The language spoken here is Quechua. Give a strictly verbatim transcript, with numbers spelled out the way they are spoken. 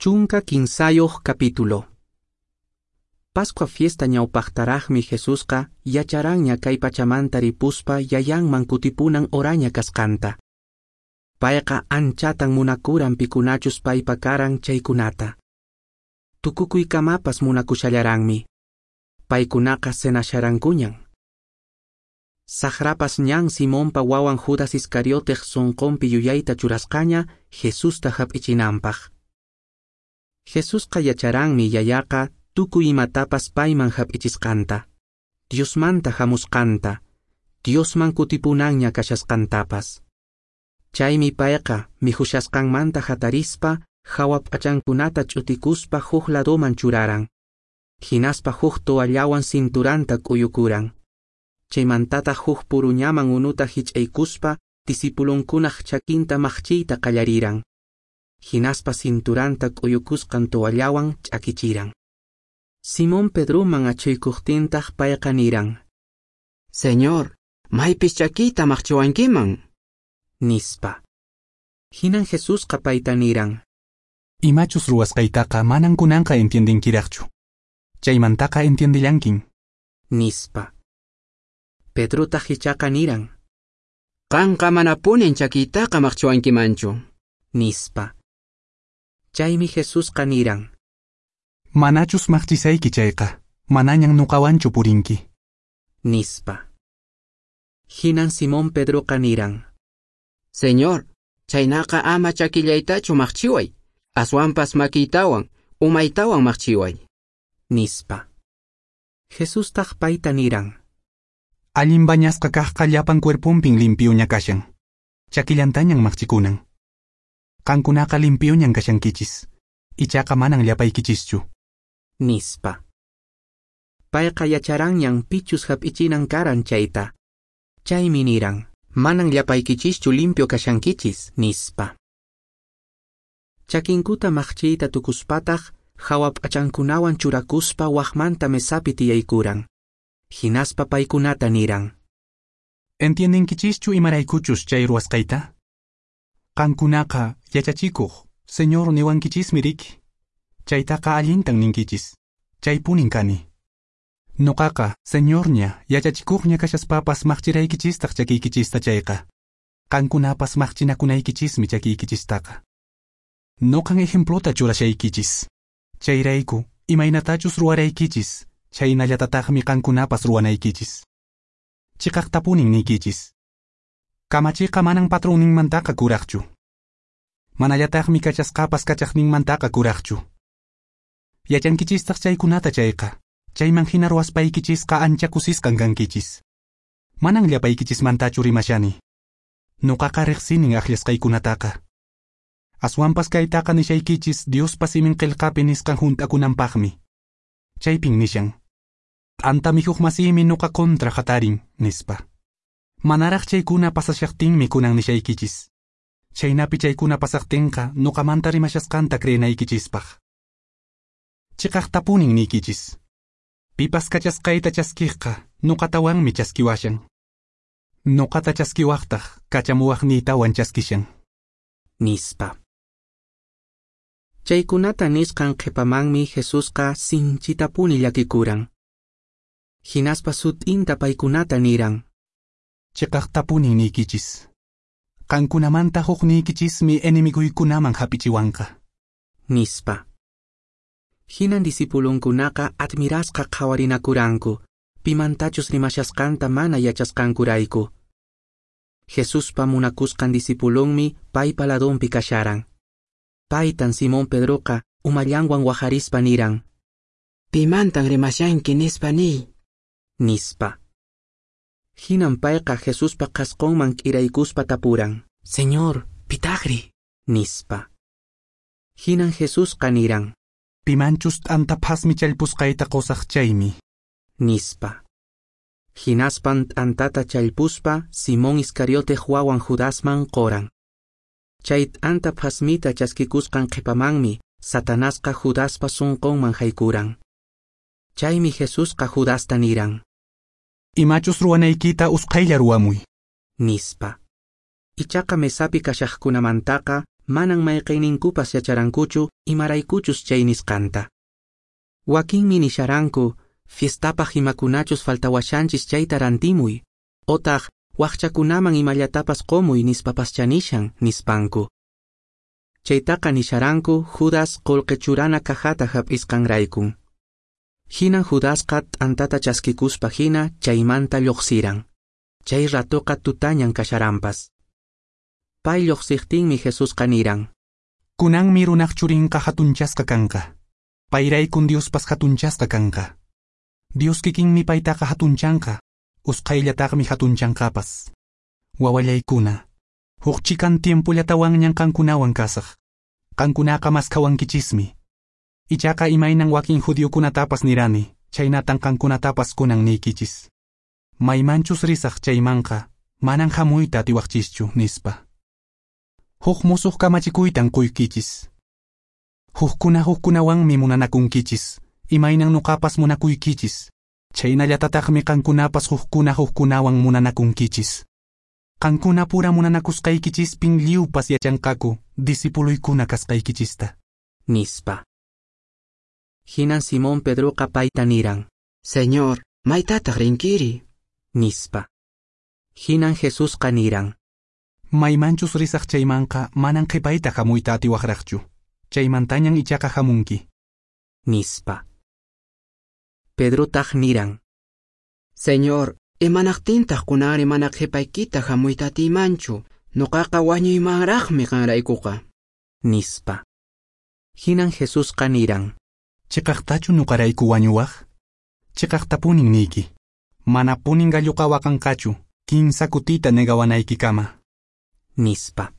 Chunka kinsayuq capítulo. Pascua fiesta ñawpaqtaraqmi Jesusqa yacharanña kay pachamanta ripuspa yayanman kutipunan oraña kasqanta. Payqa anchatan munakuran pikunachus paypa karan chaykunata. Tukukuykamapas munakushallaranmi. Paykunaqa cenasharankuñan. Saqrapas ñan Simonpa wawan Judas Iscarioteq sunqunpi yuyayta churasqaña Jesusta hap'ichinanpaq. Jesusqa yacharanmi yayaqa tukuy imatapas payman hap'ichisqanta, Diosmanta hamusqanta, Diosman kutipunanña kashasqantapas. Chaymi payqa mikhushasqanmanta hatarispa hawa p'achankunata ch'utikuspa huk ladoman churaran. Hinaspa huk toallawan cinturanta k'uyukuran. Chaymantataq huk puruñaman unuta hich'aykuspa discipulunkunaq chakinta maqchiyta qallariran. Hinaspa cinturanta k'uyukusqan toallawan ch'akichiran. Simón Pedroman achuykuqtintaq payqa niran: Señor, maypis chakiyta maqchiwankiman, nispa. Hinan Jesusqa payta niran: Imachus ruwasqaytaqa manan kunanqa entiendenkiraqchu. Chaymantaqa entiendellankin, nispa. Pedrotaq ichaqa niran: Qanqa manapunin chakiytaqa maqchiwankimanchu, nispa. Chaymi Jesusqa niran: Manachus maqchisayki chayqa, manañan nuqawanchu purinki, nispa. Hinan Simón Pedroqa niran: Señor, chaynaqa ama chakillaytachu maqchiway, aswanpas makiytawan, umaytawan maqchiway, nispa. Jesustaq payta niran: Allin bañasqa kaqqa llapan cuerponpin limpiuña kashan, chakillantañan maqchikunan. Qankunaqa limpiuñan kashankichis, ichaqa manan llapaykichischu, nispa. Payqa yacharanñan pichus hap'ichinan karan chayta. Chaymi niran: Manan llapaykichischu limpio kashankichis, nispa. Chakinkuta maqchiyta tukuspataq hawa p'achankunawan churakuspa waqmanta mesapi tiyaykuran. Hinaspa paykunata niran: Entiendenkichischu imaraykuchus chay ruwasqayta? Qankunaqa yachachikuq, Señor niwankichismi riki. Chaytaqa allintan ninkichis. Chaypunin kani. Nuqaqa, Señorña, yachachikuqña kashaspapas maqchiraykichistaq chakiykichista chayqa. Qankunapas maqchinakunaykichismi chakiykichistaqa. Nuqan ejemplota churashaykichis. Chayrayku, imaynatachus ruwaraykichis, chaynallatataqmi qankunapas ruwanaykichis. Chiqaqtapunin niykichis. Kamachiqa manan patronninmantaqa kuraqchu. Manallataqmi kachasqapas kachaqninmantaqa kuraqchu. Yachankichistaq chaykunata chayqa, chayman hina ruwaspaykichisqa ancha kusisqan kankichis. Manan llapaykichismantachu rimashani. Nuqaqa riqsinin akllasqaykunataqa. Aswanpas kaytaqa nishaykichis Diospa simin qillqapi nisqan hunt'akunanpaqmi. Chaypin nishan: T'anta mikhuq masiymi nuqa contra hatarin, nispa. Manaraq chaykuna pasashaqtinmi kunan nishaykichis. Chaynapi chaykuna pasaqtinqa nuqamanta rimashasqanta creenaykichispaq. Chiqaqtapunin niykichis. Pipas kachasqayta chaskiqqa nuqatawanmi chaskiwashan. Nuqata chaskiwaqtaq kachamuwaqniytawan chaskishan, nispa. Chaykunata nisqan qhipamanmi Jesusqa sinchitapuni llakikuran. Hinaspa sut'inta paykunata niran: Chiqaqtapunin niykichis. Qankunamanta hukniykichismi enemiguykunaman hap'ichiwanqa, nispa. Hinan discipulunkunaqa admirasqa qhawarinakuranku, pimantachus rimashasqanta mana yachasqankurayku. Jesuspa munakusqan discipulunmi paypa ladonpi kasharan. Paytan Simón Pedroqa umallanwan waharispa niran: Pimantan rimashanki nispa niy, nispa. Hinan payqa Jesuspa qhasqunman k'iraykuspa tapuran: Señor, pitaqri, nispa. Hinan Jesusqa niran: Pimanchus t'anta phasmi challpusqayta qusaq chaymi, nispa. Hinaspan t'antata challpuspa Simón Iscarioteq wawan Judasman qoran. Chay t'anta phasmita chaskikusqan qhipamanmi Satanasqa Judaspa sunqunman haykuran. Chaymi Jesusqa Judasta niran: Imachus ruwanaykita usqhaylla ruwamuy, nispa. Ichaqa mesapi kashaqkunamantaqa Manan mayqenninkupas yacharankuchu imaraykuchus chay nisqanta. Wakinmi nisharanku, fiestapaq imakunachus faltawashanchis chayta rantimuy, otaq waqchakunaman imallatapas qomuy nispapaschá nishan, nispanku. Chaytaqa nisharanku Judas qolqe churana cajata hap'isqanraykun. Hinan Judasqa t'antata chaskikuspa hina chaymanta lluqsiran. Chay ratoqa tutañan kasharanpas. Pay lluqsiqtinmi Jesusqa niran: Kunanmi runaq churinqa hatunchasqa kanqa. Payraykun Diospas hatunchasqa kanqa. Dios kikinmi paytaqa hatunchanqa, usqhayllataqmi hatunchanqapas. Wawallaykuna, huk chikan tiempollatawanñan qankunawan kasaq. Qankunaqa maskhawankichismi. Ichaqa imaynan wakin judiokunatapas nirani, chhaynatan qankunatapas kunan niykichis. Maymanchus risaq chaymanqa, manan hamuyta atiwaqchischu, nispa. Huk musuq kamachikuytan quykichis. Hukkuna hukkunawanmi munanakunkichis, imaynan nuqapas munakuykichis. Chhaynallatataqmi qankunapas hukkuna hukkunawan munanakunkichis. Qankuna pura munanakusqaykichispin lliwpas yachanqaku discipuluykuna kasqaykichista, nispa. Hinan Simón Pedroqa payta niran: Señor, maytataq rinkiri? Nispa. Hinan Jesusqa niran: Maymanchus risaq chaymanqa manan qhipayta hamuyta atiwaqraqchu. Chaymantañan ichaqa hamunki, nispa. Pedrotaq niran: Señor, imanaqtintaq kunanri mana qhipaykita hamuyta atiymanchu, nuqaqa wañuymanraqmi qanraykuqa, nispa. Hinan Jesusqa niran: Chiqaqtachu nuqarayku wañuwaq? Chiqaqtapunin niyki. Manapunin galluqa waqanqachu, kinsa kutita negawanaykikama, nispa.